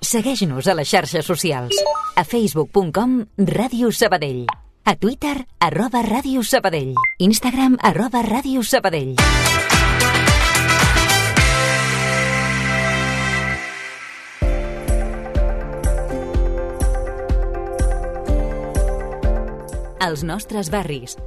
Segueix-nos a les xarxes socials. A facebook.com/Ràdio Sabadell. A Twitter, @Ràdio Sabadell. Instagram, @Ràdio Sabadell. Els nostres barris.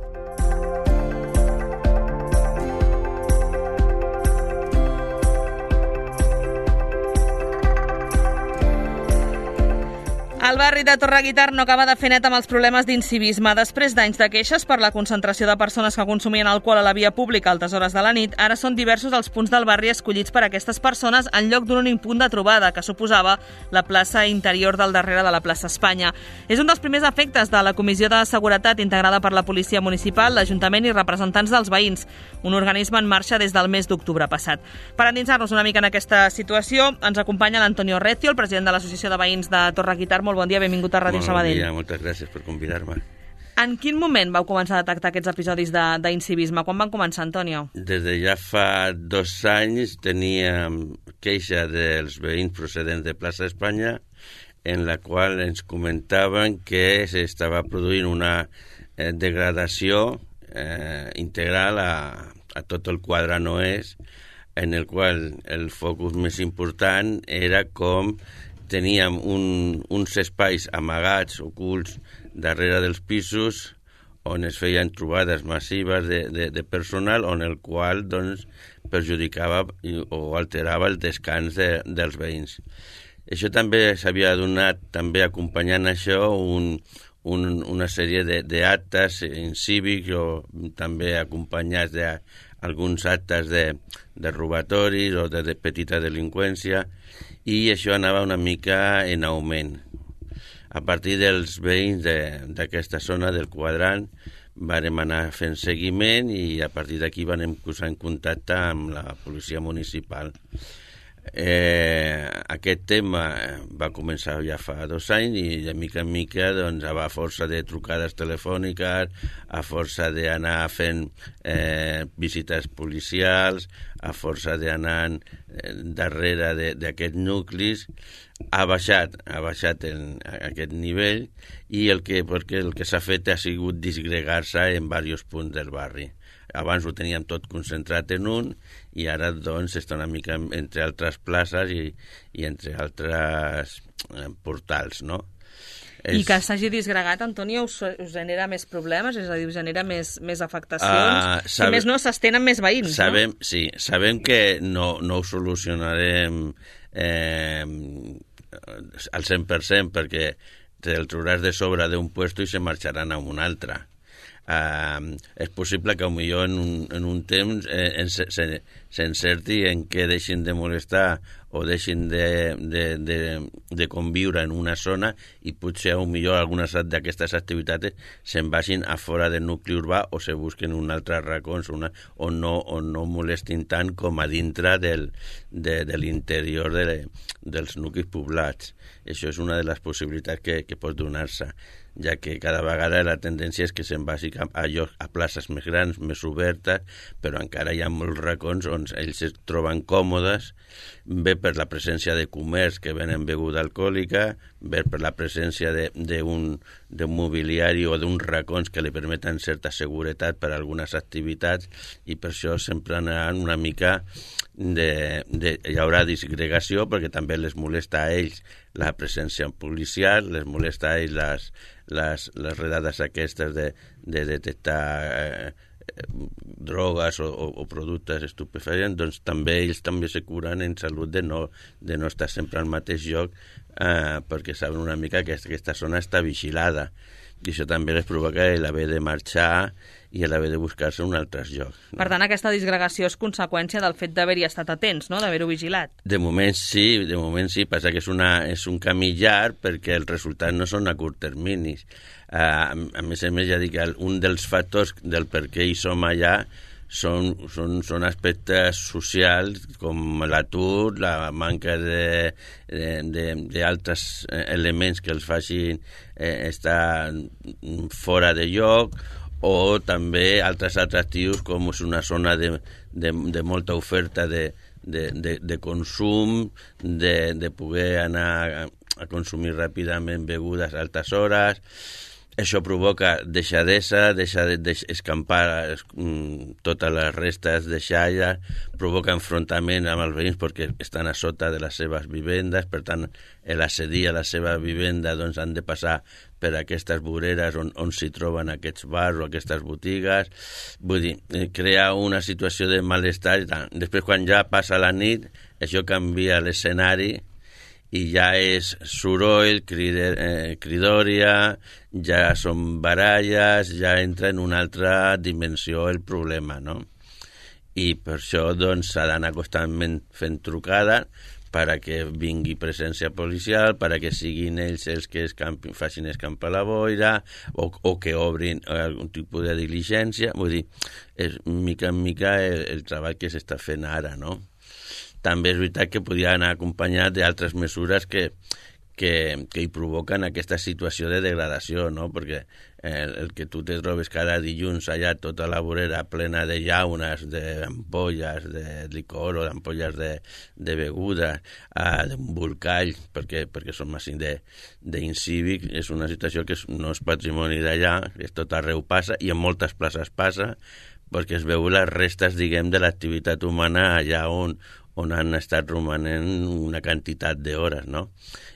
El barri de Torreguitar no acaba de fer net amb els problemes d'incivisme. Després d'anys de queixes per la concentració de persones que consumien alcohol a la via pública a altes hores de la nit, ara són diversos els punts del barri escollits per a aquestes persones en lloc d'un únic punt de trobada, que suposava la plaça interior del darrere de la plaça Espanya. És un dels primers efectes de la Comissió de Seguretat integrada per la Policia Municipal, l'Ajuntament i representants dels veïns, un organisme en marxa des del mes d'octubre passat. Per endinsar-nos una mica en aquesta situació, ens acompanya l'Antonio Recio, el president de l'Associació de Veïns de Torreguitar. Molt bon dia, benvingut a Ràdio Sabadell. Bon dia, moltes gràcies per convidar-me. En quin moment vau començar a detectar aquests episodis d'incivisme? Quan van començar, Antonio? Des de ja fa 2 anys teníem queixa dels veïns procedents de plaça Espanya en la qual ens comentaven que s'estava produint una degradació integral a tot el quadrant oest, en el qual el focus més important era com teníem uns espais amagats, ocults, darrere dels pisos, on es feien trobades massives de personal, on el qual doncs, perjudicava o alterava el descans dels veïns. Això també s'havia donat, també acompanyant això, una sèrie d'actes incívics o també acompanyats d'alguns actes de robatoris o de petita delinqüència, i això anava una mica en augment. A partir dels veïns d'aquesta zona del quadrant vam anar fent seguiment i a partir d'aquí vam posar en contacte amb la policia municipal. Aquest tema va començar ja fa 2 anys i de mica en mica doncs, a força de trucades telefòniques, a força d'anar fent visites policials, a força d'anar darrere d'aquests nuclis, ha baixat aquest nivell i perquè el que s'ha fet ha sigut disgregar-se en diversos punts del barri. Abans ho teníem tot concentrat en un i ara doncs està una mica entre altres places i entre altres portals, no? I que s'hagi disgregat, Antonio, us genera més problemes? És a dir, us genera més afectacions? Si més no, s'estenen més veïns, no? Sí, sabem que no ho solucionarem al 100% perquè te'l trobaràs de sobre d'un puesto i se marxaran a un altre. És possible que potser en un temps s'encerti en què deixin de molestar o deixin de conviure en una zona i potser potser algunes d'aquestes activitats se'n vagin a fora del nucli urbà o se busquen un altre racó on no molestin tant com a dintre de l'interior dels nuclis poblats. Això és una de les possibilitats que pot donar-se, ja que cada vegada la tendència és que se'n vagi a places més grans, més obertes, però encara hi ha molts racons on ells es troben còmodes, bé per la presència de comerç que venen beguda alcohòlica, bé per la presència d'un mobiliari o d'uns racons que li permeten certa seguretat per a algunes activitats i per això sempre anaran una mica hi haurà disgregació perquè també les molesta a ells la presència policial, les molesta a ells les redades aquestes de detectar drogues o productes estupefaents, doncs també ells també se curen en salut de no estar sempre al mateix lloc perquè saben una mica que aquesta zona està vigilada i això també les provoca l'haver de marxar i l'haver de buscar-se un altre lloc. No? Per tant, aquesta disgregació és conseqüència del fet d'haver-hi estat atents, no? D'haver-ho vigilat. De moment sí, passa que és un camí llarg perquè els resultats no són a curt terminis. A més, ja dic que un dels factors del per què hi som allà són aspectes socials com l'atur, la manca d'altres elements que els facin estar fora de lloc o també altres atractius com és una zona de molta oferta de de consum, de poder anar a consumir ràpidament begudes a altes hores. Això provoca deixadesa, deixar d'escampar totes les restes de xalla, provoca enfrontament amb els veïns perquè estan a sota de les seves vivendes, per tant, l'accedir a la seva vivenda doncs, han de passar per aquestes voreres on s'hi troben aquests bars o aquestes botigues. Vull dir, crea una situació de malestar i tant. Després, quan ja passa la nit, això canvia l'escenari i ja és soroll, cridòria, ja són baralles, ja entra en una altra dimensió el problema, no? I per això doncs, s'ha d'anar constantment fent trucada perquè vingui presència policial, perquè siguin ells els que facin escampar la boira o que obrin algun tipus de diligència. Vull dir, és mica en mica el treball que s'està fent ara, no? També és veritat que podia anar acompanyat d'altres mesures que hi provoquen aquesta situació de degradació, no? Perquè el que tu te trobes cada dilluns allà tota la vorera plena de llaunes, d'ampolles de licor o d'ampolles de beguda, d'embolcall, perquè som així d'incívic, és una situació que no és patrimoni d'allà, que tot arreu passa i en moltes places passa, perquè es veu les restes, diguem, de l'activitat humana allà on han estat romanent una quantitat d'hores, no?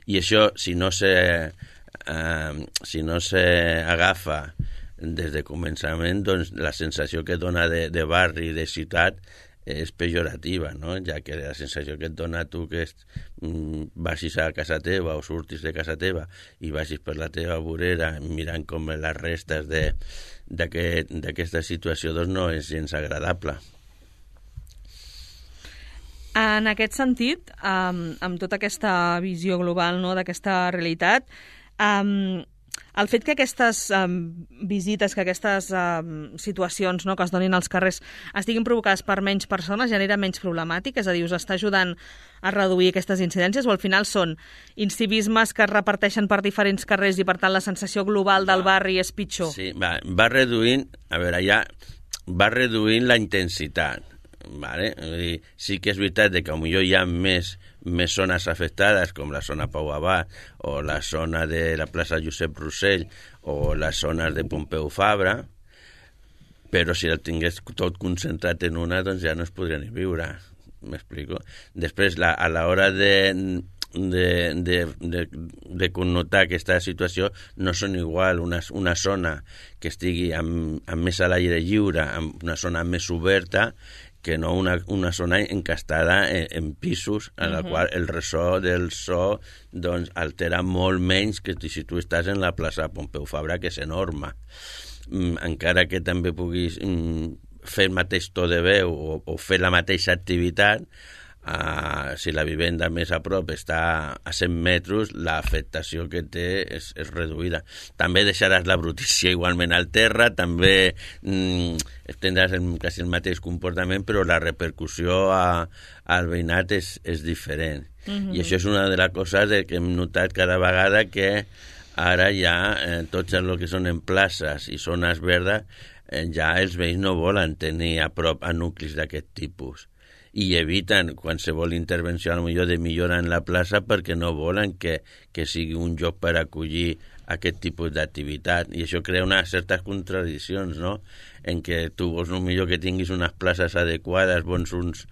I això, si no s'agafa des de començament, doncs la sensació que dona de barri, de ciutat, és pejorativa, no? Ja que la sensació que et dona tu que vagis a casa teva o surtis de casa teva i vagis per la teva vorera mirant com les restes d'aquesta situació, doncs no és gens agradable. En aquest sentit, amb tota aquesta visió global, no, d'aquesta realitat, el fet que aquestes visites, que aquestes situacions, no, que es donin als carrers estiguin provocades per menys persones genera menys problemàtic? És a dir, us està ajudant a reduir aquestes incidències o al final són incivismes que es reparteixen per diferents carrers i per tant la sensació global del barri és pitjor? Sí, va reduint, va reduint la intensitat. Vale? Sí que és veritat que potser hi ha més zones afectades com la zona Pau Abat o la zona de la plaça Josep Rossell o les zones de Pompeu Fabra, però si el tingués tot concentrat en una doncs ja no es podria ni viure, m'explico. Després, a l'hora de connotar aquesta situació no són igual una zona que estigui amb més a l'aire lliure, amb una zona més oberta, que no una zona encastada en pisos en la qual el ressò del so doncs, altera molt menys que si tu estàs en la plaça Pompeu Fabra, que és enorme. Encara que també puguis fer el mateix to de veu o fer la mateixa activitat, si la vivenda més a prop està a 100 metres, l'afectació que té és reduïda. També deixaràs la brutícia igualment al terra, també tindràs quasi el mateix comportament, però la repercussió al veïnat és diferent. I això és una de les coses que hem notat cada vegada, que ara ja tots el que són en places i zones verdes, ja els veïns no volen tenir a prop a nuclis d'aquest tipus. I eviten qualsevol intervenció de millora en la plaça perquè no volen que sigui un lloc per acollir aquest tipus d'activitat. I això crea unes certes contradiccions, no? En què tu vols millor que tinguis unes places adequades, unes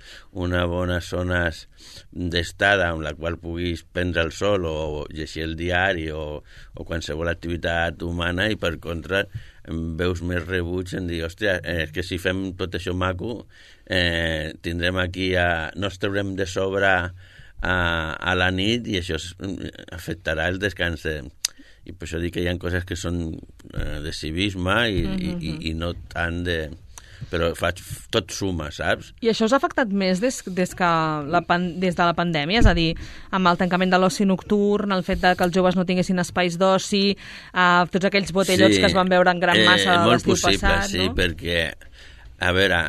bones zones d'estada amb la qual puguis prendre el sol o llegir el diari o qualsevol activitat humana, i per contra veus més rebuig en dir, hòstia, és que si fem tot això maco tindrem aquí no ens traurem de sobre a la nit i això afectarà el descans i per això dic que hi ha coses que són de civisme i no tant de... però tot suma, saps? I això us ha afectat més des de la pandèmia? És a dir, amb el tancament de l'oci nocturn, el fet que els joves no tinguessin espais d'oci, tots aquells botellots que es van veure en gran massa l'estiu passat, sí, no? Perquè, a veure,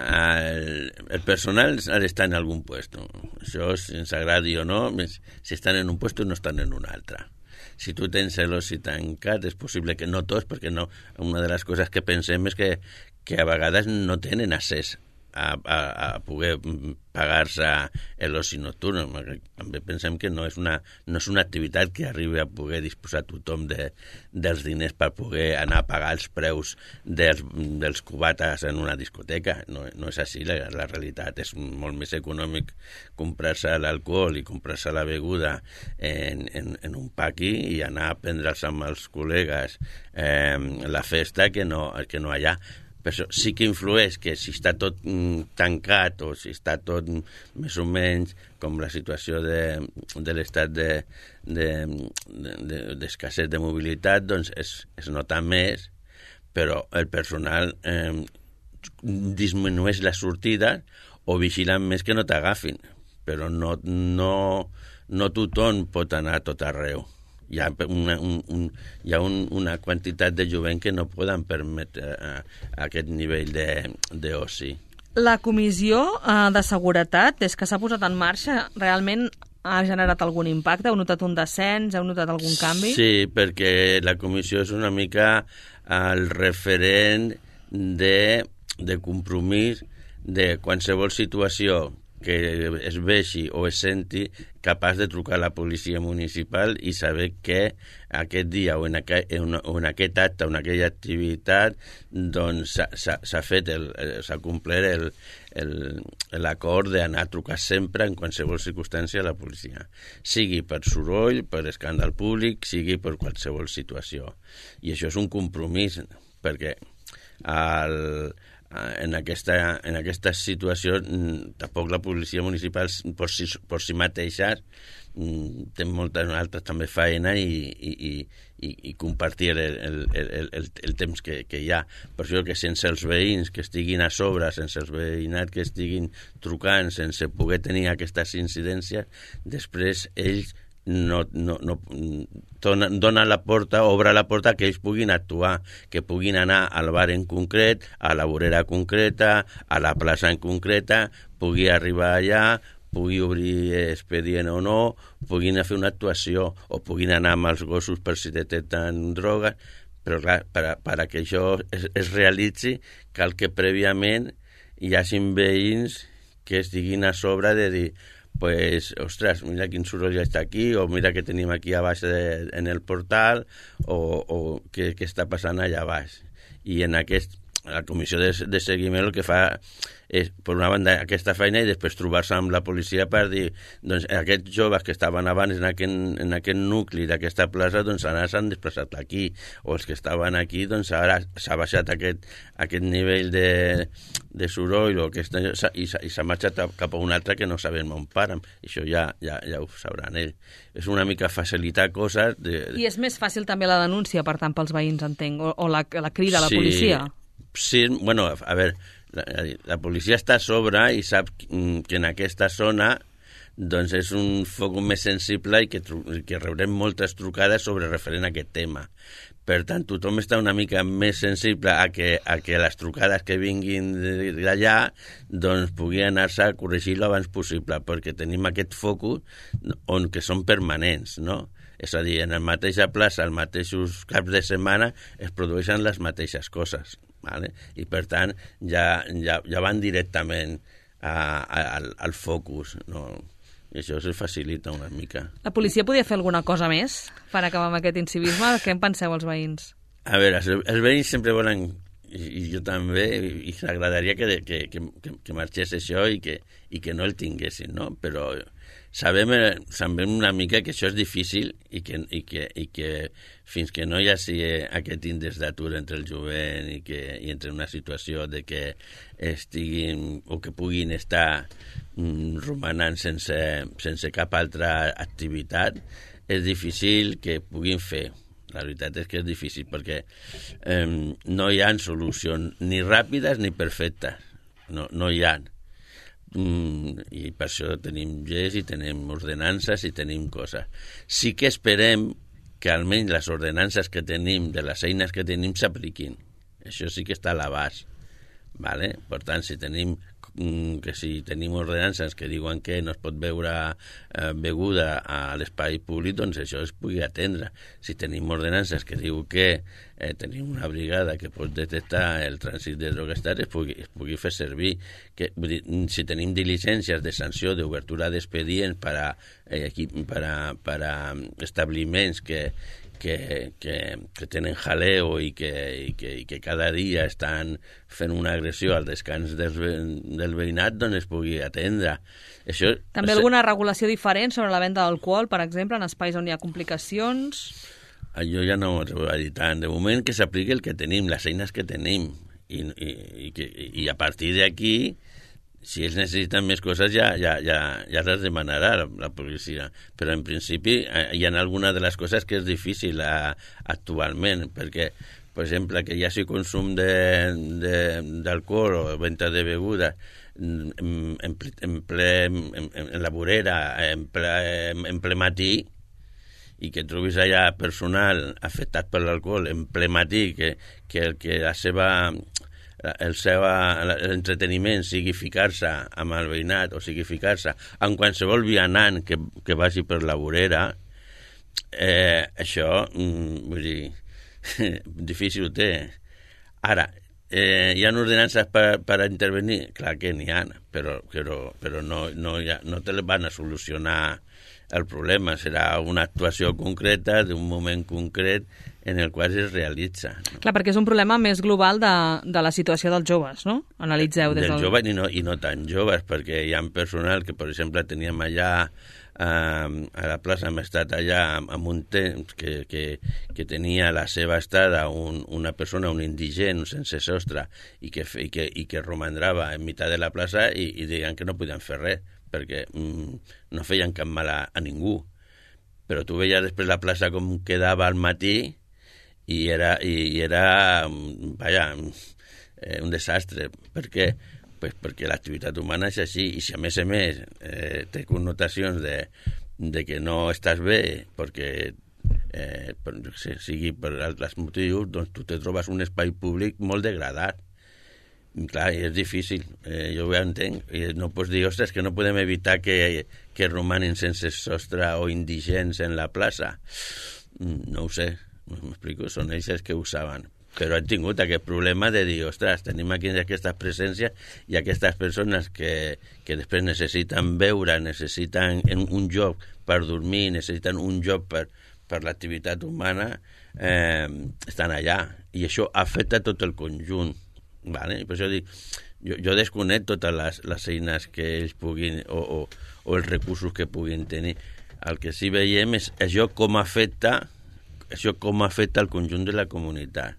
el personal ha d'estar en algun puesto. Això, si ens agradi o no, si estan en un puesto no estan en un altre. Si tu tens l'oci tancat, és possible que no tots, perquè no, una de les coses que pensem és que a vegades no tenen accés a poder pagar-se l'oci nocturn. També pensem que no és una activitat que arribi a poder disposar tothom dels diners per poder anar a pagar els preus dels cubates en una discoteca. No és així, la realitat és molt més econòmic comprar-se l'alcohol i comprar-se la beguda en un paqui i anar a prendre'ls amb els col·legues la festa que no allà. Per això sí que influeix que si està tot tancat o si està tot més o menys com la situació de l'estat d'escasset de mobilitat, doncs es nota més, però el personal disminueix la sortida o vigilen més que no t'agafin, però no tothom pot anar a tot arreu. Hi ha una quantitat de jovent que no poden permetre aquest nivell d'oci. La Comissió de Seguretat, des que s'ha posat en marxa, realment ha generat algun impacte? Heu notat un descens? Heu notat algun canvi? Sí, perquè la comissió és una mica el referent de compromís de qualsevol situació que es vegi o es senti capaç de trucar a la policia municipal i saber que aquest dia o en aquest acte o en aquella activitat doncs s'ha complert l'acord d'anar a trucar sempre en qualsevol circumstància a la policia, sigui per soroll, per escàndol públic, sigui per qualsevol situació. I això és un compromís, perquè en aquesta situació tampoc la policia municipal per si mateixa té moltes altres també feina i compartir el temps que hi ha. Per això que sense els veïns que estiguin a sobre, sense els veïnat que estiguin trucant, sense poder tenir aquestes incidències, després ells dona la porta, obre la porta que ells puguin actuar, que puguin anar al bar en concret, a la vorera concreta, a la plaça en concreta, pugui arribar allà, pugui obrir expedient o no, puguin fer una actuació o puguin anar amb els gossos per si detecten drogues, però clar, per que això es realitzi cal que prèviament hi hagin veïns que estiguin a sobre de dir pues, ostres, mira quin soroll està aquí, o mira què tenim aquí a baix en el portal, o què està passant allà baix. I en la comissió de seguiment el que fa és, per una banda, aquesta feina i després trobar-se amb la policia per dir, doncs, aquests joves que estaven abans en aquest nucli d'aquesta plaça, doncs ara s'han desplaçat aquí, o els que estaven aquí, doncs ara s'ha baixat aquest nivell de soroll i s'ha marxat cap a un altre que no sabem on paren. Això ja ho sabran ells. És una mica facilitar coses. I és més fàcil també la denúncia, per tant, pels veïns, entenc, o la crida a la policia? Sí, bueno, a veure, la policia està a sobre i sap que en aquesta zona doncs és un foc més sensible i que rebrem moltes trucades sobre referent a aquest tema. Per tant, tothom està una mica més sensible a que les trucades que vinguin d'allà doncs pugui anar-se a corregir-lo abans possible, perquè tenim aquest focus on que són permanents, no? És a dir, en la mateixa plaça, els mateixos caps de setmana es produeixen les mateixes coses, ¿vale? I per tant ja van directament al focus, no? I això se facilita una mica. La policia podia fer alguna cosa més per acabar amb aquest incivisme? Què en penseu els veïns? A veure, els veïns sempre volen, i jo també, i s'agradaria que marxés això i que no el tinguessin, no? Però sabem una mica que això és difícil i que fins que no hi hagi aquest índex d'atur entre el jovent i entre una situació de que estiguin o que puguin estar romanant sense cap altra activitat, és difícil que puguin fer. La veritat és que és difícil perquè no hi ha solucions ni ràpides ni perfectes. No hi ha. I per això tenim lleis i tenim ordenances i tenim coses. Sí que esperem que almenys les ordenances que tenim, de les eines que tenim, s'apliquin. Això sí que està a l'abast. ¿Vale? Per tant, si tenim que si tenim ordenances que diuen que no es pot beure beguda a l'espai públic, doncs això es pugui atendre. Si tenim ordenances que diu que tenim una brigada que pot detectar el trànsit de drogues es pugui fer servir. Vull dir, si tenim diligències de sanció d'obertura d'expedients per a establiments que tenen jaleo i que cada dia estan fent una agressió al descans del veïnat, doncs es pugui atendre. Això, també alguna regulació diferent sobre la venda d'alcohol, per exemple, en espais on hi ha complicacions? Jo ja no ho vaig dir tant. De moment que s'apliqui el que tenim, les eines que tenim, i a partir d'aquí, si ells necessiten més coses ja les demanarà la policia. Però en principi hi ha alguna de les coses que és difícil actualment, perquè, per exemple, que hi hagi consum d'alcohol o venda de beguda en la vorera, en ple matí, i que trobis allà personal afectat per l'alcohol en ple matí, que l'entreteniment sigui ficar-se amb el veïnat o sigui ficar-se en qualsevol vianant que vagi per la vorera, això, vull dir, difícil ho té. Ara, hi ha ordenances per intervenir? Clar que n'hi ha, però no te van a solucionar el problema. Serà una actuació concreta d'un moment concret en el qual es realitza. No? Clar, perquè és un problema més global de la situació dels joves, no? Analitzeu des del... Dels joves i no tan joves, perquè hi ha personal que, per exemple, teníem allà a la plaça, hem estat allà amb un temps que tenia la seva estada una persona, un indigent sense sostre, i que romandrava en meitat de la plaça i deien que no podien fer res, perquè no feien cap mal a ningú. Però tu veies després la plaça com quedava al matí i era vaja, un desastre. Per què? Pues perquè l'activitat humana és així, i si a més té connotacions de que no estàs bé perquè sigui per altres motius, doncs tu te trobes un espai públic molt degradat. Clar, és difícil, jo ho entenc. No pots dir, ostres, que no podem evitar que romanin sense sostre o indigents en la plaça. No ho sé, m'explico, són ells els que ho saben. Però han tingut aquest problema de dir, ostres, tenim aquí aquestes presències i aquestes persones que després necessiten beure, necessiten un lloc per dormir, necessiten un lloc per l'activitat humana, estan allà. I això afecta tot el conjunt. Vale? I per això dic, jo desconec totes les eines que ells puguin o els recursos que puguin tenir. El que sí veiem és això com afecta el conjunt de la comunitat.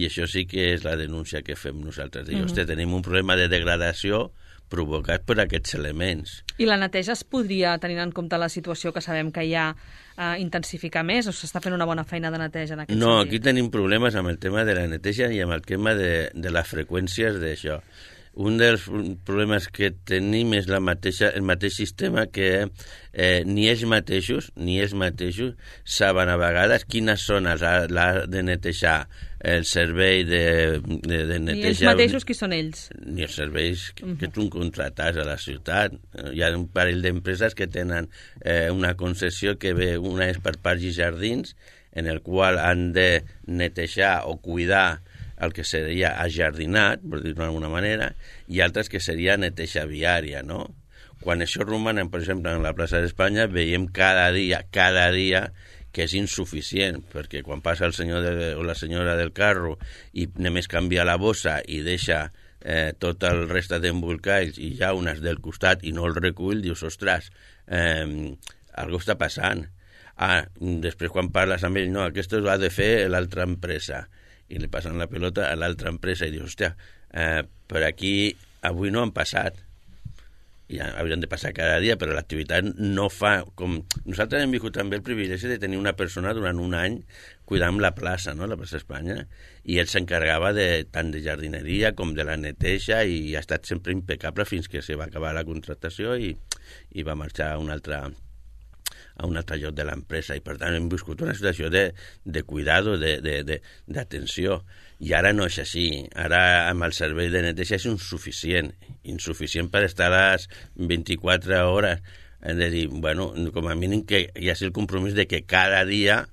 I això sí que és la denúncia que fem nosaltres. Hosti, tenim un problema de degradació provocat per aquests elements. I la neteja es podria, tenint en compte la situació que sabem que hi ha, intensificar més, o s'està fent una bona feina de neteja en aquest sentit? No, aquí tenim problemes amb el tema de la neteja i amb el tema de les freqüències d'això. Un dels problemes que tenim és el mateix sistema que ni ells mateixos saben a vegades quines zones ha de netejar el servei de neteja. Ni ells mateixos, qui són ells? Ni els serveis que tu contrates a la ciutat. Hi ha un parell d'empreses que tenen una concessió que ve, una és per parcs i jardins, en el qual han de netejar o cuidar el que seria ajardinat, per dir-ho d'alguna manera, i altres que seria neteja viària, no? Quan això romanen, per exemple, en la plaça d'Espanya, veiem cada dia que és insuficient, perquè quan passa el senyor o la senyora del carro i només canvia la bossa i deixa tot el reste d'embolcalls i ja unes del costat i no el recull, dius, ostres, algo està passant. Després quan parles amb ell, no, aquest ho ha de fer l'altra empresa, i li passen la pelota a l'altra empresa i dius, hòstia, per aquí avui no han passat. I haurien de passar cada dia, però l'activitat no fa com... Nosaltres hem viscut també el privilegi de tenir una persona durant un any cuidant la plaça, no?, la plaça Espanya, i ell s'encarregava tant de jardineria com de la neteja i ha estat sempre impecable fins que se va acabar la contractació i va marxar a un altre a un altre lloc de l'empresa, i per tant hem viscut una situació de cuidado, d'atenció, i ara no és així. Ara amb el servei de neteja és insuficient per estar a les 24 hores. Hem de dir, bueno, com a mínim que hi hagi el compromís de que cada dia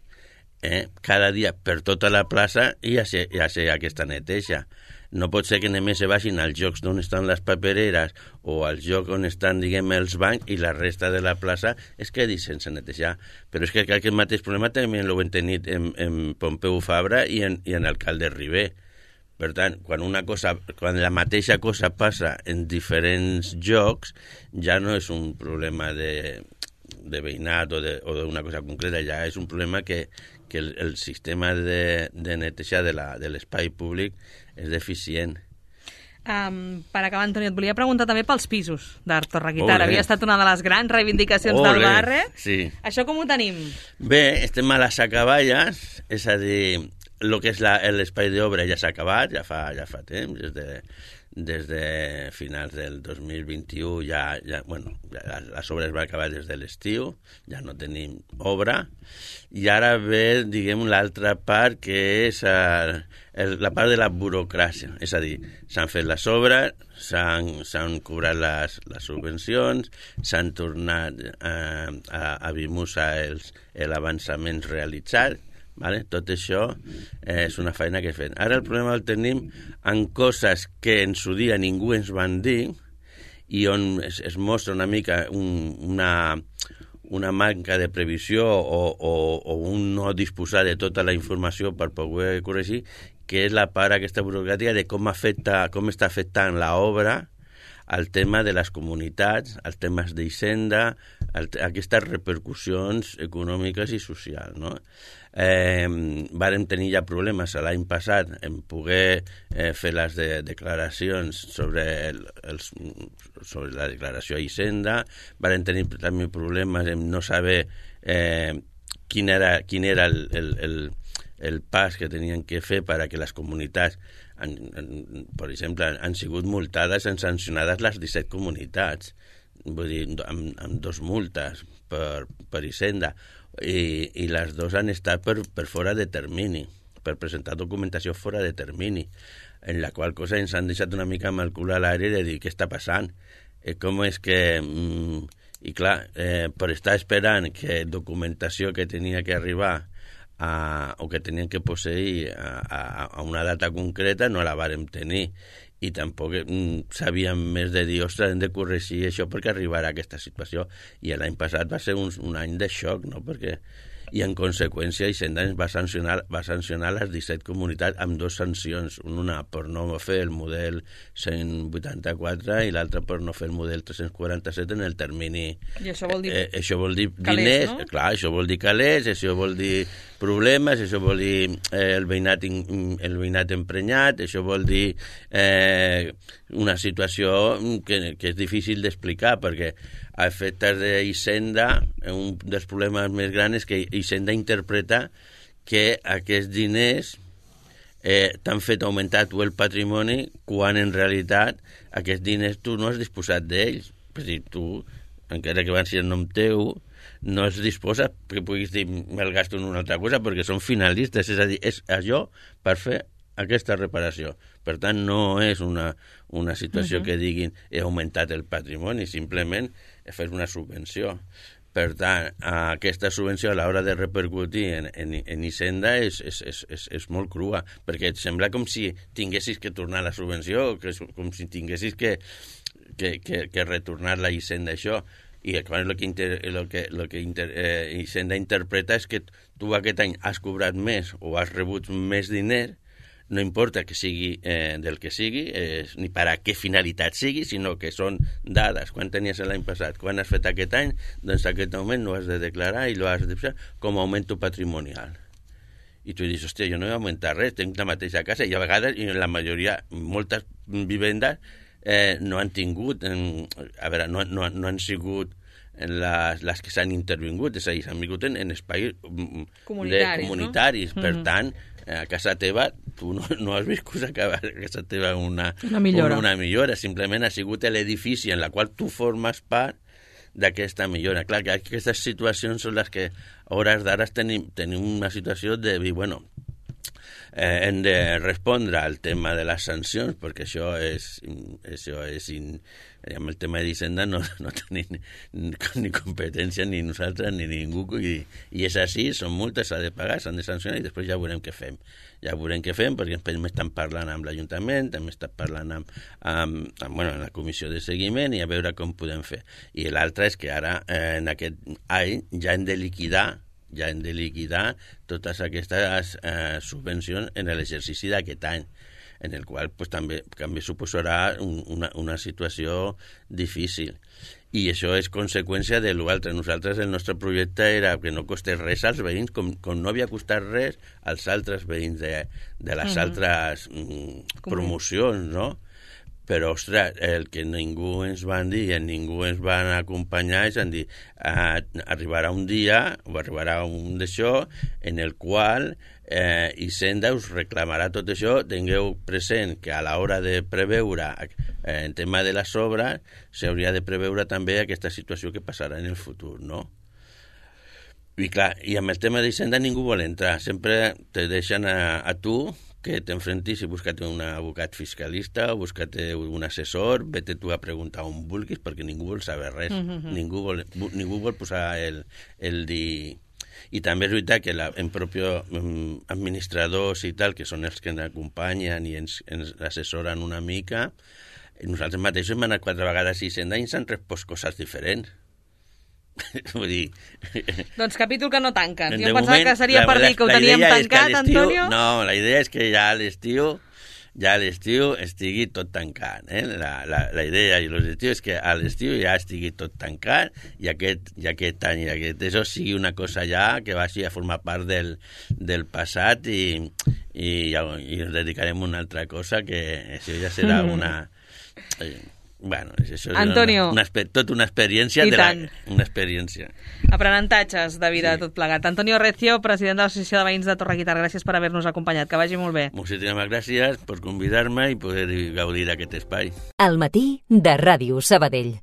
per tota la plaça hi hagi aquesta neteja. No pot ser que només se vagin als llocs on estan les papereres o als llocs on estan, diguem, els bancs, i la resta de la plaça es quedi sense netejar. Però és que aquest mateix problema també l'ho hem tenit en Pompeu Fabra i en Alcalde Ribé. Per tant, quan la mateixa cosa passa en diferents llocs, ja no és un problema de veïnat o d'una cosa concreta, ja és un problema que el sistema de neteja de l'espai públic és deficient. Per acabar, Antoni, et volia preguntar també pels pisos d'Art Torreguitar. Havia estat una de les grans reivindicacions del barri. Sí. Això com ho tenim? Bé, estem a les acaballes, és a dir, el que és l'espai d'obra ja s'ha acabat, ja fa temps, des de finals del 2021 les obres van acabar des de l'estiu, ja no tenim obra, i ara ve, diguem, l'altra part, que és la part de la burocràcia, és a dir, s'han fet les obres, s'han cobrat les subvencions, s'han tornat a Bimusa l'avançament realitzat. Vale? Tot això és una feina que he fet. Ara el problema el tenim en coses que en su dia ningú ens van dir i on es mostra una mica una manca de previsió o un no disposar de tota la informació per poder corregir, que és la part aquesta burocràtica de com està afectant l'obra al tema de les comunitats, als temes d'Hisenda, aquestes repercussions econòmiques i socials, no? Vàrem tenir ja problemes l'any passat en poder fer les declaracions sobre la declaració a Hisenda, vàrem tenir també problemes en no saber quin era el pas que tenien que fer perquè les comunitats, per exemple, han sigut multades i sancionades les 17 comunitats, vull dir, amb 2 multes per Hisenda, i les 2 han estat per fora de termini, per presentar documentació fora de termini, en la qual cosa ens han deixat una mica amb el cul a l'aire de dir què està passant, com és que... I clar, per estar esperant que documentació que tenia que arribar o que tenien que posseir a una data concreta no la vàrem tenir, i tampoc sabíem més de dir, ostres, hem de corregir això perquè arribarà a aquesta situació. I l'any passat va ser un any de xoc, no? I en conseqüència Hisenda ens va sancionar les 17 comunitats amb 2 sancions, una per no fer el model 184 i l'altra per no fer el model 347 en el termini. I això vol dir... Això vol dir calés, diners, no? Clar, això vol dir calés, això vol dir problemes, això vol dir el veïnat emprenyat, això vol dir una situació que és difícil d'explicar, perquè a efectes d'Hisenda, un dels problemes més grans és que Hisenda interpreta que aquests diners t'han fet augmentar tu el patrimoni quan en realitat aquests diners tu no has disposat d'ells. És a dir, tu, encara que van ser en nom teu, no es disposa que puguis dir me'l gasto en una altra cosa perquè són finalistes, és a dir, és allò per fer aquesta reparació. Per tant, no és una situació que diguin he augmentat el patrimoni, simplement fer una subvenció. Per tant, aquesta subvenció a l'hora de repercutir en Hisenda és molt crua, perquè et sembla com si tinguessis que tornar la subvenció, com si tinguessis que retornar la Hisenda això. I quan el que Hisenda interpreta és que tu aquest any has cobrat més o has rebut més diners, no importa que sigui del que sigui, ni per a què finalitat sigui, sinó que són dades. Quan tenies l'any passat, quan has fet aquest any, doncs aquest augment no has de declarar i l'has de fer com a augmento patrimonial. I tu dius, hòstia, jo no he augmentat res, tinc la mateixa casa, i a vegades, i la majoria, moltes vivendes no han tingut, no han sigut les que s'han intervingut, és a dir, s'han vingut en espais comunitaris, no? Per tant, a casa teva tu no has viscut a casa teva una millora, simplement ha sigut l'edifici en la qual tu formes part d'aquesta millora. Clar, que aquestes situacions són les que a hores d'ara tenim una situació de dir, bueno, hem de respondre al tema de les sancions, perquè això és amb el tema d'Hisenda no tenim ni competència ni nosaltres ni ningú, i és així, són multes, s'ha de pagar, s'han de sancionar i després ja veurem què fem. Ja veurem què fem, perquè també estan parlant amb l'Ajuntament, també estan parlant amb la comissió de seguiment i a veure com podem fer. I l'altre és que ara, en aquest any, ja hem de liquidar totes aquestes subvencions en l'exercici d'aquest any, en el qual pues, també suposarà una situació difícil. I això és conseqüència de l'altre. Nosaltres, el nostre projecte era que no costés res als veïns, com no havia costat res als altres veïns de les altres promocions, no? Però, ostres, el que ningú ens van dir i ningú ens van acompanyar és dir, arribarà un dia o arribarà un d'això en el qual Hisenda us reclamarà tot això. Tingueu present que a l'hora de preveure en tema de les obres s'hauria de preveure també aquesta situació que passarà en el futur, no? I clar, i amb el tema d'Hisenda ningú vol entrar, sempre te deixen a tu que t'enfrentis i busca't un abogat fiscalista o busca't un assessor, vete tu a preguntar on vulguis perquè ningú vol saber res, ningú vol posar el dir. I també és veritat que en propio administradors i tal, que són els que ens acompanyen i ens assessoren una mica, nosaltres mateixos hem anat 4 vegades a Hisenda i ens han respost coses diferents. Vull dir... Doncs capítol que no tanquen. Jo em pensava que seria per dir que ho teníem tancat, Antonio. No, la idea és que ja a l'estiu estigui tot tancat. La idea i l'objectiu és que a l'estiu ja estigui tot tancat i aquest any i això sigui una cosa ja que vagi a formar part del passat i ens dedicarem a una altra cosa que això ja serà una... Bueno, això Antonio, és tot una experiència. Una experiència. Aprenentatges de vida, tot plegat. Antonio Recio, president de l'Associació de Veïns de Torreguitar, gràcies per haver-nos acompanyat. Que vagi molt bé. Moltíssimes gràcies per convidar-me i poder gaudir d'aquest espai. Al matí de Ràdio Sabadell.